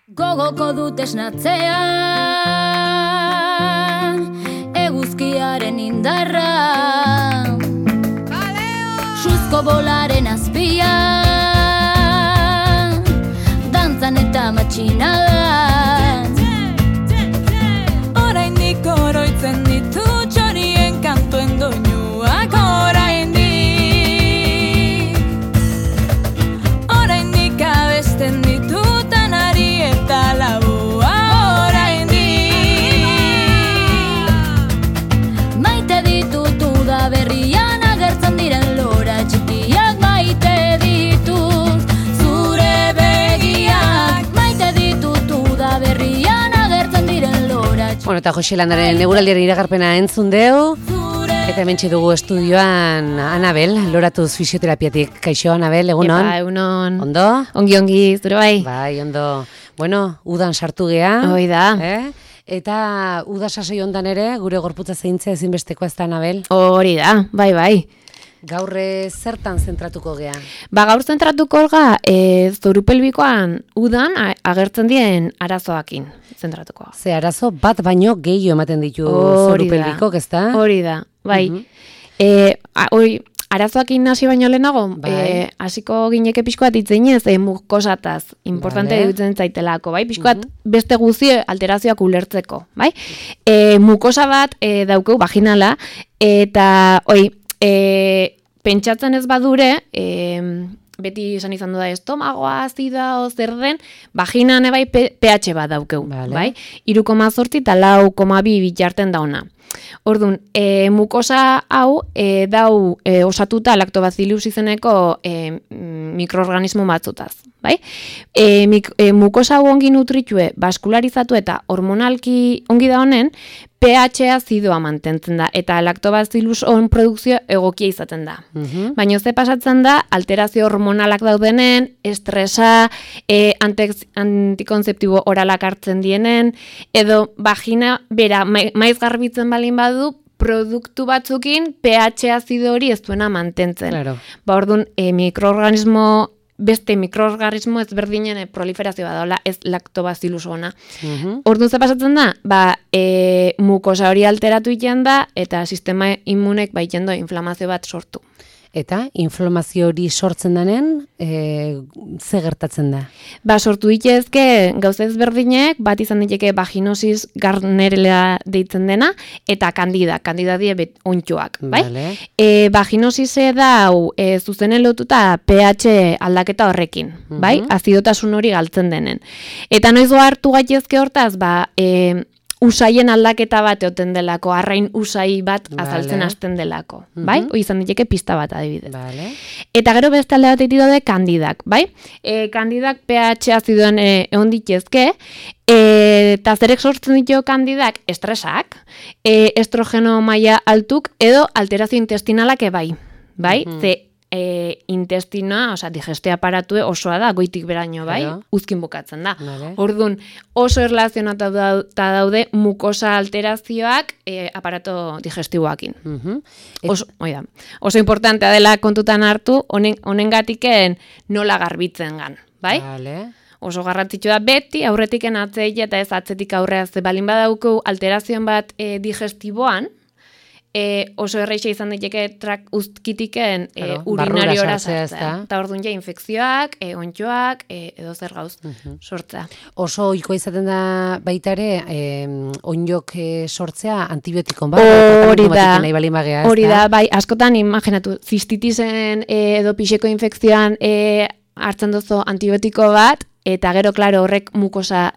Gogoko dut esnatzea, eguzkiaren indarra, suzko bolaren azpia, dantzan eta matxinadan. Oraindik oroitzen ditu txorien kantuen doinuak, oraindik abesten ditutan ari eta labua, maite ditut uda berrian agertzen diren lora txikiak, maite ditut zure begiak, maite ditut uda berrian agertzen diren lora txikiak. Bueno, eta Jose Landaren eguraldiaren iragarpena entzun deu, eta hementxe dugu estudioan Anabel, loratuz fisioterapiatik. Kaixo, Anabel, egunon? Epa, egunon. Ondo? Ongi, zure bai? Bai, ondo. Bueno, udan sartu gea. Hoi da. Eta uda sasoi ondan ere, gure gorputza zeintzea ezinbesteko ez da, Anabel? Hori da, bai. Gaur zertan zentratuko gea? Gaur zentratuko ga, zorupelbikoan udan agertzen dien arazoakin zentratuko. Ze arazo bat baino gehiago ematen ditu zorupelbikok, ez da? Hori da, bai. Arazoakin hasi baino lehenago, hasiko gineke pixko bat itzenez, mukosataz, importante dutzen zaitelako, bai? Pixko bat beste guzti alterazioak ulertzeko, bai? Mukosa bat daukeu vaginala, eta pentsatzen ez badure, beti esan izan da estomagoa, azida, zer den, vaginan ebai pH bat daukeu, bai? 3,8 eta 4,2 bitarten dauna. Orduan, mukosa hau dau osatuta lactobacillus izeneko mikroorganismo batzutaz, bai? Mukosa hau ongi nutritue, baskularizatu eta hormonalki ongi da honen, pH azidoa mantentzen da, eta lactobacillus on produkzio egokia izaten da. Baina ze pasatzen da, alterazio hormonalak daudenen, estresa, antikonzeptibo oralak hartzen dienen, edo vagina bera maiz garbitzen balin badu, produktu batzukin pH azido hori ez duena mantentzen. Orduan, beste mikroorganismo ezberdinen proliferazioa daula, ez lactobacillus ona. Orduan ze pasatzen da, mukosa hori alteratu iten da, eta sistema immunek baiten do inflamazio bat sortu. Eta inflamazio hori sortzen denen, ze gertatzen da? Sortu ditezke gauza ezberdinek, bat izan diteke vaginosis Gardnerella deitzen dena, eta kandida die ontxoak, bai? Vaginosise dau zuzenen lotuta pH aldaketa horrekin, bai? Azidotasun hori galtzen denen. Eta noiz hartu gaitezke hortaz, usaien aldaketa bat eoten delako, arrain usai bat azaltzen hasten delako, bai? Hoi izan diteke pista bat adibidez. Eta gero beste alde bat egiten daude kandidak, bai? Kandidak pH azidoan egon ditezke, eta zerek sortzen ditu kandidak estresak, estrogeno maila altuk edo alterazio intestinalak ebai, bai? Ze intestinoa, digestio aparatue osoa da, goitik beraino, bai? Uzkin bukatzen da. Orduan, oso erlazionata daude mukosa alterazioak aparato digestiboakin. Oso importantea dela kontutan hartu, honengatiken nola garbitzen gan, bai? Oso garrantzitsua da beti, aurretiken atzeik eta ez atzetik aurrea, ze balin badauko alterazioan bat digestiboan, oso erreixa izan daiteke uzkitiken urinariora sartzea. Eta orduan ja infekzioak, ontxoak, edo zer gauz sortzea. Oso ohikoa izaten da baita ere, onjok sortzea antibiotikon bat? Hori da, bai, askotan imaginatu, zistitisen edo pixeko infekzioan hartzen duzu antibiotiko bat, eta gero, klaro, horrek mukosa,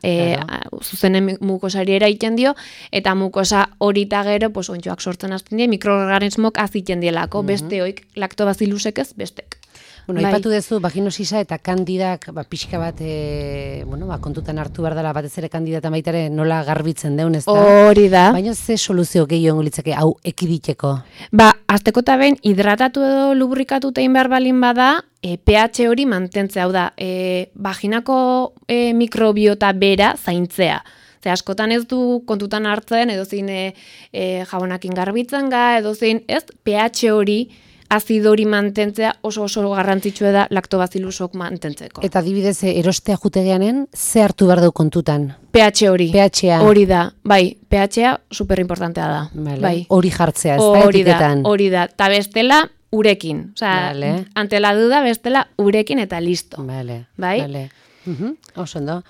zuzenen mukosari eraiten dio, eta mukosa hori eta gero, ontxoak sortzen hasten die, mikroorganismok aziten dielako, beste oik, lactobacillusek ez, bestek. Aipatu duzu, vaginosisa eta kandidak pixka bat kontutan hartu behar dela, batez ere kandidata baitare nola garbitzen deun, ez da? Hori da. Baina ze soluzio gehiago litzake hau ekiditeko? Azteko eta behin, hidratatu edo lubrikatu tein behar balin bada, pH hori mantentzea, hau da, vaginako mikrobiota bera zaintzea. Ze askotan ez du kontutan hartzen, edo zein jabonakin garbitzen ga, edo zein, ez, pH hori azido hori mantentzea oso garrantzitsua da lactobacillusok mantentzeko. Eta adibidez, erostea jutegeanen, ze hartu behar du kontutan? pH hori. pH-a. Hori da, bai, pH-a superimportantea da. Bai. Hori jartzea, ez da, etiketan. Hori da, eta bestela urekin. Ante la duda, bestela urekin eta listo. Bai? Oso ondo.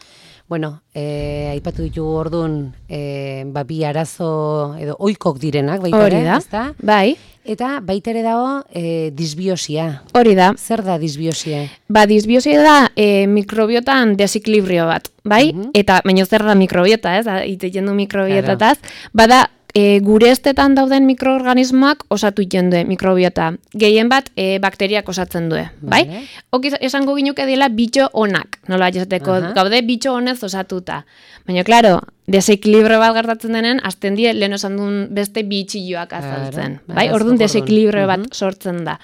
Bueno, aipatu ditugu orduan, bi arazo edo oikok direnak, baita ere, ezta? Bai. Eta baita ere dago disbiosia. Hori da. Zer da disbiosia? Disbiosia da mikrobiotan desequilibrio bat, bai? Eta, baina zer da mikrobiota, ez? Itetzen du mikrobiotataz. Bada, gure estetan dauden mikroorganismoak osatu iten du mikrobiota. Gehien bat bakteriak osatzen du, bai? Hok esango ginuke dela bitxo onak, nola esateko gaude bitxo honez osatuta. Baina, klaro, desequilibrio bat gertatzen denen, azten die lehen osan duen beste bitxilloak azaltzen, bai? Orduan desequilibrio bat sortzen da.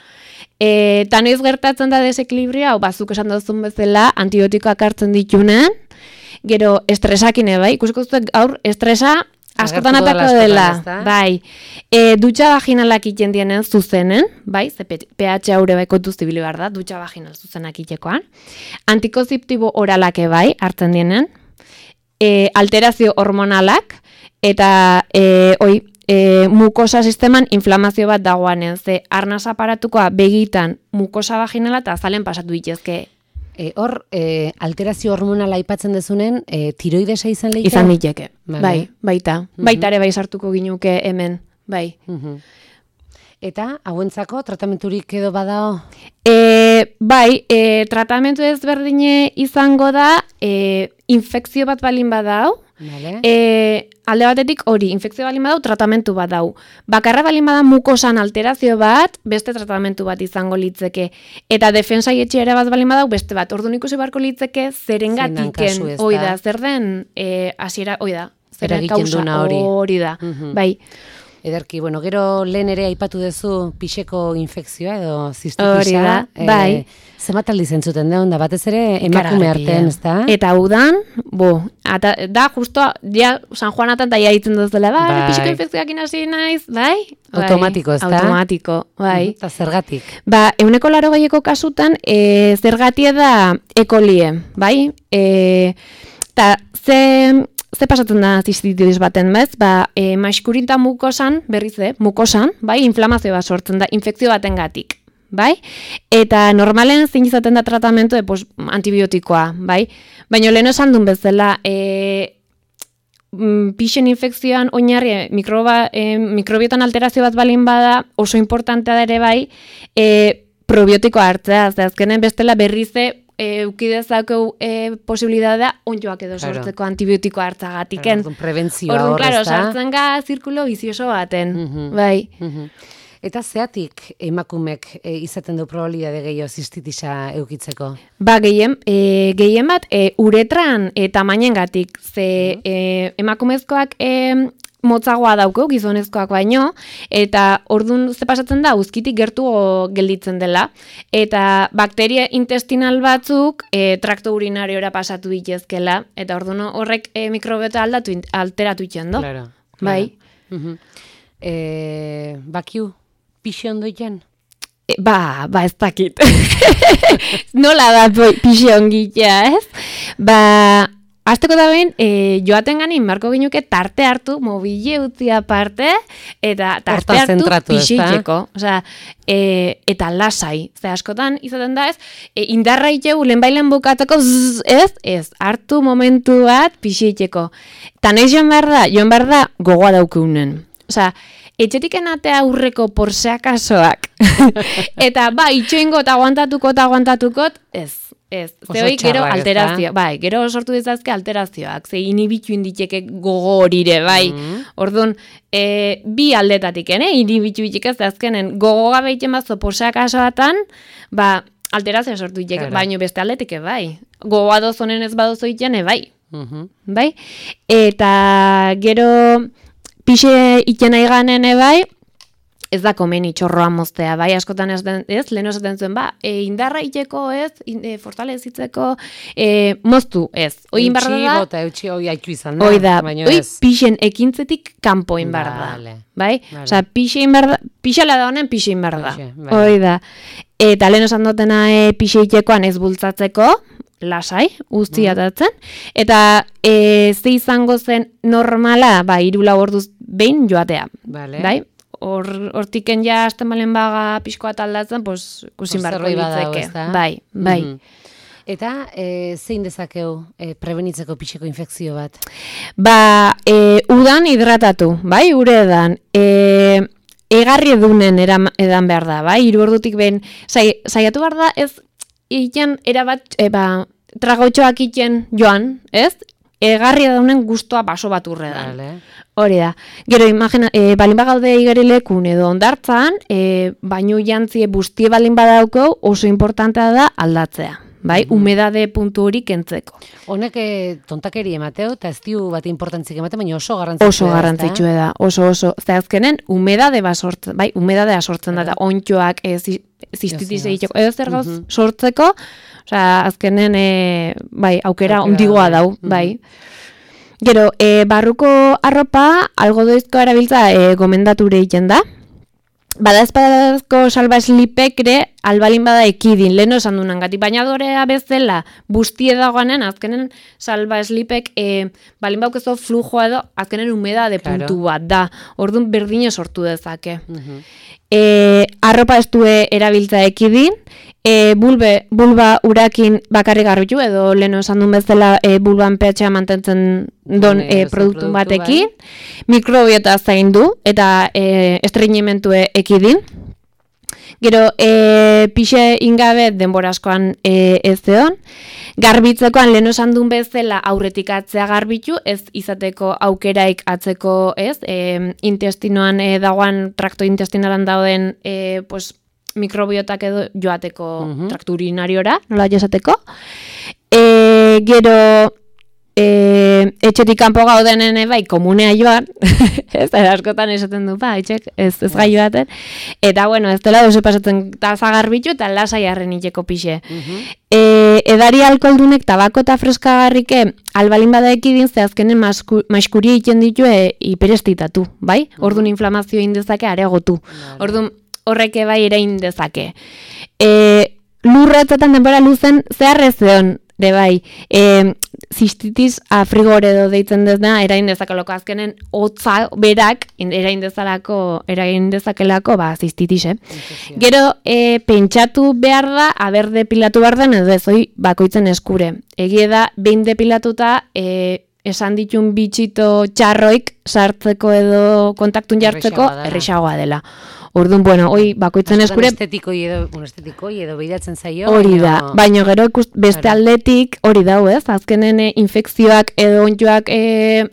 Eta noiz gertatzen da desequilibrio, hau bazuk esan duzun bezala, antibiotikoak hartzen ditunen, gero estresakine, bai? Ikusiko zuten gaur estresa askotan atako dela, bai. Dutxa vaginalak iten dienen zuzenen, bai, ze pH haure bai kontuz zibili behar da, dutxa vaginal zuzenak itekoan. Antikonzeptibo oralake bai, hartzen dienen. Alterazio hormonalak, eta mukosa sisteman inflamazio bat dagoanen, ze arnaz aparatukoa begitan mukosa vaginala eta azalen pasatu ditezke. Hor, alterazio hormonala aipatzen dezunen, tiroidesa izan lehika? Izan liteke, bai, baita. Baita ere bai sartuko ginuke hemen, bai. Eta, hauentzako, tratamenturik edo badao? Bai, tratamentu ezberdine izango da, infekzio bat balin badao, alde batetik hori, infekzio balin badau, tratamentu bat dau. Bakarra balin bada mukosan alterazio bat, beste tratamentu bat izango litzeke. Eta defensa etxera bat balin badau, beste bat. Orduan ikusi beharko litzeke zerengatiken, oida, zer den, hasiera, oida, zer kausa hori da, bai. Ederki, bueno, gero lehen ere aipatu duzu pixeko infekzioa edo zistitisa. Bai. Zemat aldi zentzuten da, onda batez ere emakume artean, ez da? Eta udan, da justo, San Juanatan da ditzen duzela, bai, pixeko infekzioak inasi naiz, bai? Automatiko, ez da? Automatiko, bai. Eta zergatik? 180 kasutan, zergatia da ekolie, bai? Eta ze pasatzen da zistititis baten, bez? Maskurinta mukosan, berriz, mukosan, bai, inflamazio bat sortzen da, infekzio baten gatik, bai? Eta normalen zein izaten da tratamentu antibiotikoa, bai? Baina lehen esan duen bezala, pixen infekzioan oinarri mikrobiotan alterazio bat balin bada, oso importantea da ere bai, probiotikoa hartzea, azkenen bestela berrize, eukidezakeu posibilidadea onjoak edo sortzeko antibiotikoa hartzagatiken. Prebentzioa hor, ez da? Sartzen ga zirkulo bizioso baten, bai. Eta zeatik emakumek izaten du probabilidade gehiago zistitisa eukitzeko? Gehien bat, uretran tamainengatik, ze emakumezkoak motzagoa daukeu, gizonezkoak baino, eta orduan ze pasatzen da, uzkitik gertu gelditzen dela, eta bakteria intestinal batzuk trakto urinariora pasatu ditezkela, eta orduan horrek mikrobiota alteratu itxen do. Claro. Bai. Bakiu, pixe ondo iten? Ez dakit. Nola da pixe ongitea, ez? Azteko da behin, joaten ganin, marko ginuke tarte hartu, mobile utzi aparte, eta tarte hartu pixiteko. Eta lasai. Ze askotan izaten da ez, indarra itxegu lehenbailen bukatzeko, ez, hartu momentu bat pixiteko. Eta nahi joan behar da gogoa daukeunen. Etxetik enatea aurreko porseakasoak. Eta itxoingo eta aguantatukot, ez. Zehoi gero alterazio, bai, gero sortu dizazke alterazioak, ze inibitu inditeke gogo horire, bai. Orduan, bi aldetatik, inibitu itxik ez azkenen, gogo gabe iten bazo poseak asoatan, alterazioa sortu itxek, baino beste aldetik, bai. Gogoa dozonen ez badozo itxene, bai. Bai? Eta gero pixe itxena iganen, bai, ez da komeni txorroa moztea, bai, askotan lehen esaten zuen, indarra iteko ez, fortalezitzeko, moztu ez. Oi inbarra da... Bota, eutxi hoi haitu izan da. Oi da, oi pixen ekintzetik kanpo inbarra da. Bai? Osa, pixela da honen pixe inbarra da. Oi da. Eta lehen esan dutena pixe itekoan ez bultzatzeko, lasai, guzti atatzen, eta ze izango zen normala, 3-4 orduz behin joatea. Bai? Hortiken ja hasten balen baga pixkoa taldatzen, kusin barko ditzeke. Bai. Eta zein dezakeu prebenitzeko pixeko infekzio bat? Udan hidratatu, bai, ure edan. Egarri edunen edan behar da, bai, 3 ordutik behin. Saiatu behar da, ez iten erabat, tragotxoak iten joan, ez? Egarri edunen guztua baso bat urredan. Hori da. Gero, imagina, balin bagaude igerilekun edo ondartzan, baino jantzie bustie balin badauko, oso importantea da aldatzea. Bai, humedade puntu hori kentzeko. Honek tontakeri emateu, eta ez diu bat importantzik emate, baina oso garrantzitsua da. Oso garrantzitsua da, oso. Zehazkenen, humedadea sortzen da, ontxoak, zistitis egiteko, edo zer gauz sortzeko, azkenen, aukera ondigoa dau, bai. Gero, barruko arropa, algodoizko erabiltza gomendature egiten da. Bada espadazko salba eslipekre, albalin bada ekidin, lehen esan dunan gati, bainadorea bezala bustie dagoanen, azkenen salba eslipek, balin baukezo flujoa edo, azkenen humedade puntu bat da, orduan berdine sortu dezake. Arropa ez du erabiltza ekidin, bulba urakin bakarrik garbitu, edo lehen esan duen bezala bulban pH mantentzen don produktu batekin, mikrobiota zaindu eta estreñimentu ekidin. Gero, pixe ingabe denbora askoan ez egon, garbitzekoan lehen esan duen bezala aurretik atzea garbitu, ez izateko aukeraik atzeko, ez, intestinoan dagoan, trakto intestinalan dauden, mikrobiotak edo joateko traktu urinariora, nola jasateko. Gero, etxetik kanpo gaudenen komunea joan, ez askotan esaten du, etxek ez gai joaten, eta bueno, ez dela doze pasatzen taza garbitu eta lasai harren itxeko pixe. Edari alkoholdunek tabako eta freskagarrike albalin bada ekidin, zehazkenen maiskuria egiten ditu hiperestitatu, bai? Orduan inflamazio indezake areagotu. Orduan horreke bai erain dezake. Lurratzetan denbora luzen zeharrez egon, de bai, zistitis afrigore edo deitzen dezna, erain dezakelako azkenen hotza berak erain dezakelako zistitis, Gero, pentsatu behar da, aber depilatu behar den, edo ez hoi bakoitzen eskure. Egie da, behin depilatuta, esan ditun bitxito txarroik sartzeko edo kontaktun jartzeko, errexagoa dela. Orduan, bueno, hoi bakoitzen eskure... Estetikoi edo behidatzen zaio. Hori da, baina gero beste aldetik hori dau ez, azkenen infekzioak edo ontjoak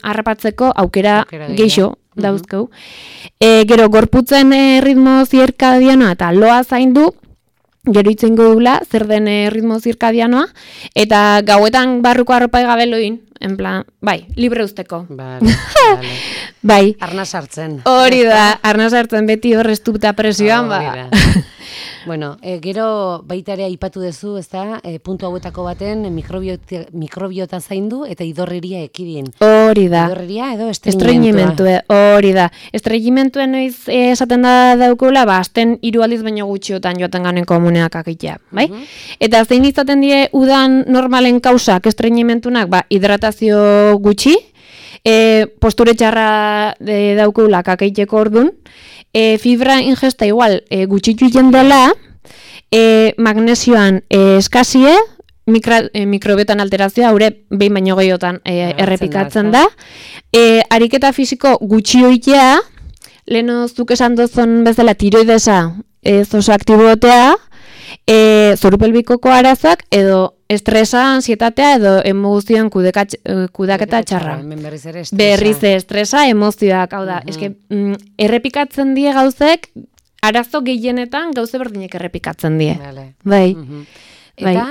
harrapatzeko aukera geixo dauzkau. Gero, gorputzen ritmo zirkadianoa eta loa zaindu, gero itzengo dula, zer den ritmo zirkadianoa, eta gauetan barruko arropa egabeloin, en plan, libre usteko. Bai. Arna sartzen. Hori da, arna sartzen beti horreztu eta presioan, Bueno, gero baita ere aipatu duzu, ez da, puntu hauetako baten mikrobiota zaindu eta idorreria ekidin. Hori da. Idorreria edo estreñimentua. Hori da. Estreñimentuen noiz esaten da daukula, azten 3 aldiz baino gutxiotan joaten ganen komuneak akitea, bai? Eta zein izaten die udan normalen kausak estreñimentunak, hidratazio gutxi, posture txarra daukula kakeiteko ordun, fibra ingesta igual gutxitu jendela, magnesioan eskazie, mikrobiotan alterazioa, haure behin baino gehiotan errepikatzen da. Ariketa fisiko gutxi oitea, leheno zuk esan dozon bezala tiroidesa oso aktibotea, zoru pelbikoko arazak edo estresa, ansietatea edo emozioan kudaketa txarra. Berriz estresa, emozioak, hau da. Errepikatzen die gauzek, arazo gehienetan gauze berdinek errepikatzen die. Bai. Eta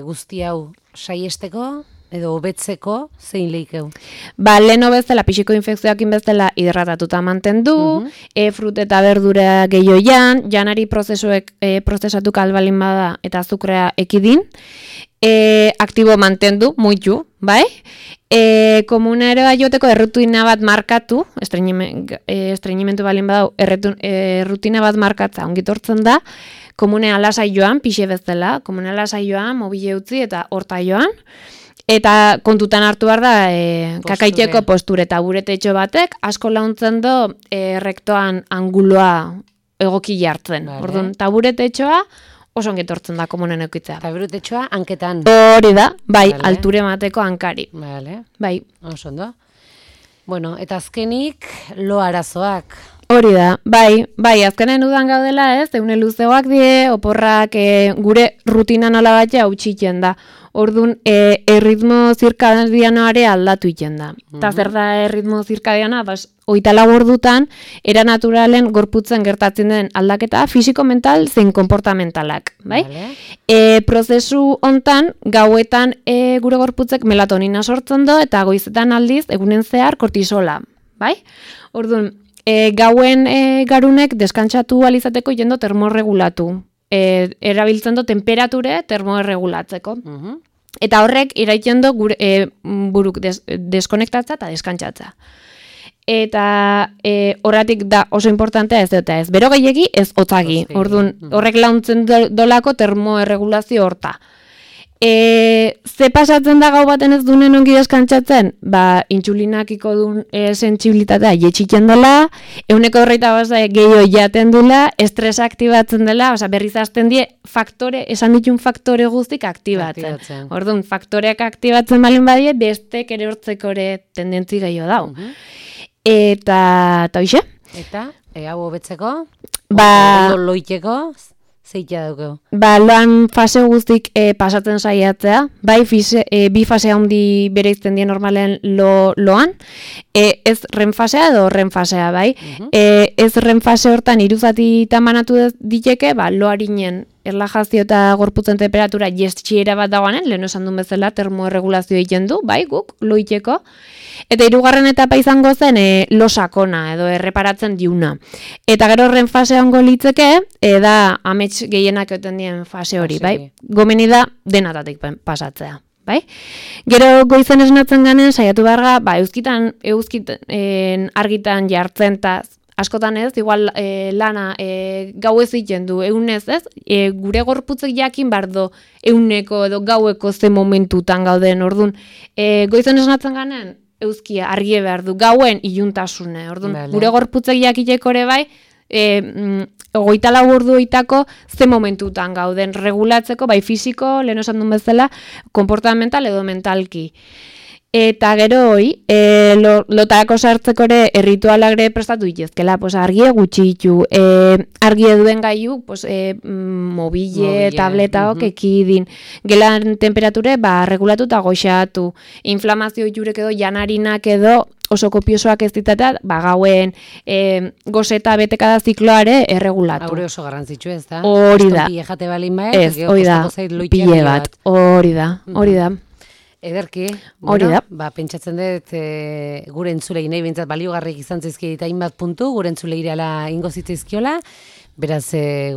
guzti hau saiesteko, edo hobetzeko zein leikeu? Ba, lehen bezala, pixiko infekzioakin bezala hidratatuta mantendu, frut eta berdura gehioian, janari prozesatu kalbalin bada eta azukrea ekidin, aktibo mantendu, muitu, bai? Komunero aioteko errutina bat markatu, estreinimentu balin badau, errutina bat markatza ongitortzen da, komunea lasai joan, pixe bezala, komunea lasai joan, mobile utzi eta horta joan, eta kontutan hartu behar da kakaiteko posture eta buretetxo batek, asko launtzen do rektoan anguloa egoki jartzen. Orduan, taburetetxoa oso ongetortzen da komunen eukitzea. Taburetetxoa hanketan. Hori da, bai, alture mateko hankari. Bai. Oso ondo. Bueno, eta azkenik lo arazoak. Hori da, bai, azkenen udan gaudela ez, eune luzeoak die, oporrak gure rutina nola batxe hau txiken da. Orduan, erritmo zirkadianoare aldatu iten da. Eta zer da erritmo zirkadiana, hogeita lau ordutan, era naturalen gorputzen gertatzen den aldaketa fisiko-mental zein konportamentalak, bai? Prozesu hontan, gauetan gure gorputzek melatonina sortzen do, eta goizetan aldiz, egunen zehar kortisola, bai? Orduan, gauen garunek deskantsatu alizateko jendo termorregulatu. Erabiltzen do temperature termorregulatzeko. Eta horrek iraiten do buruk deskonektatza eta deskantzatza. Eta horratik da oso importantea ez dut ez. Bero gehiegi ez otzagi. Orduan, horrek launtzen dolako termoerregulazio horta. Ze pasatzen da gau baten ez dunen ongi deskantzatzen? Ba, intsulinakiko duen sentsibilitatea jetxitzen dela, euneko horreita gehiago jaten dela, estresa aktibatzen dela, berriz hasten die faktore, esan ditun faktore guztik aktibatzen. Orduan, faktoreak aktibatzen balin badie, bestek ere hortzeko ere tendentzi gehiago dau. Eta hoxe? Eta, hau hobetzeko? Ba, loiteko? Zeitea dugu? Ba, loan fase guztik pasatzen saiatzea, bai, bi fase handi bere izten die normalen loan, ez REM fasea edo REM fasea, bai. Ez REM fase hortan iruzati tamanatu diteke, ba, loarinen erlajazio eta gorputzen temperatura jestxiera bat dagoanen, lehen esan duen bezala termoerregulazio egiten du, bai, guk, loiteko. Eta hirugarren etapa izango zen lo sakona edo erreparatzen diuna. Eta gero REM fase hongo litzeke, da amets gehienak eten dien fase hori, bai? Gomeni da denatatik pasatzea, bai? Gero goizen esnatzen ganen, saiatu beharga, ba, euskitan argitan jartzen eta askotan ez, igual lana gau ez egiten du, eunez ez, gure gorputzek jakin bardo euneko edo gaueko ze momentutan gauden, orduan, goizen esnatzen ganen, euskia argie behar du, gauen iluntasune, orduan, gure gorputzek jakiteko ere bai, 24 orduoitako ze momentutan gauden regulatzeko, bai fisiko, lehen esan duen bezala, konportamental edo mentalki. Eta gero hoi, lotarako sartzeko ere erritualak ere prestatu dituzkela, argie gutxitu, argie duen gaiu, mobile, tabletaok ekidin, gelan temperature, regulatu eta goxatu, inflamazio jurek edo janarinak edo oso kopiosoak ez ditatea, gauen gozeta betekada zikloare erregulatu. Haure oso garrantzitsu ez da? Hori da. Pile jate balin baek, ez, hori da, pile bat, hori da. Ederki, hori da. Ba, pentsatzen dut gure entzulei nahi bintzat baliogarrik izan zizki eta hainbat puntu, gure entzulei irala ingo zitzaizkiola, beraz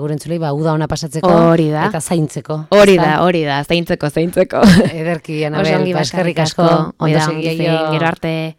gure entzulei uda ona pasatzeko eta zaintzeko. Hori da, zaintzeko. Ederki, Anabel, eskerrik asko, ondo segia gero arte.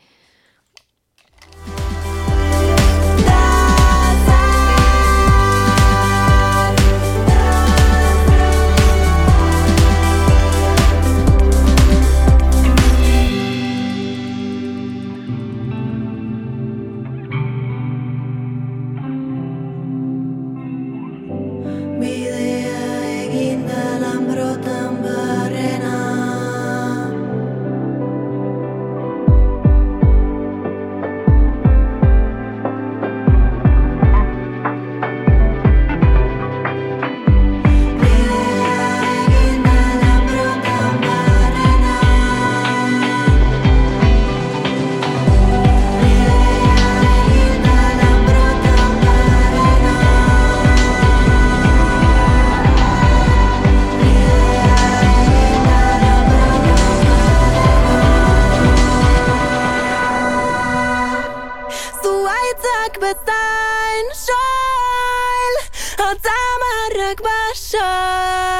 bezain. Soil, hotzamarrak basoi.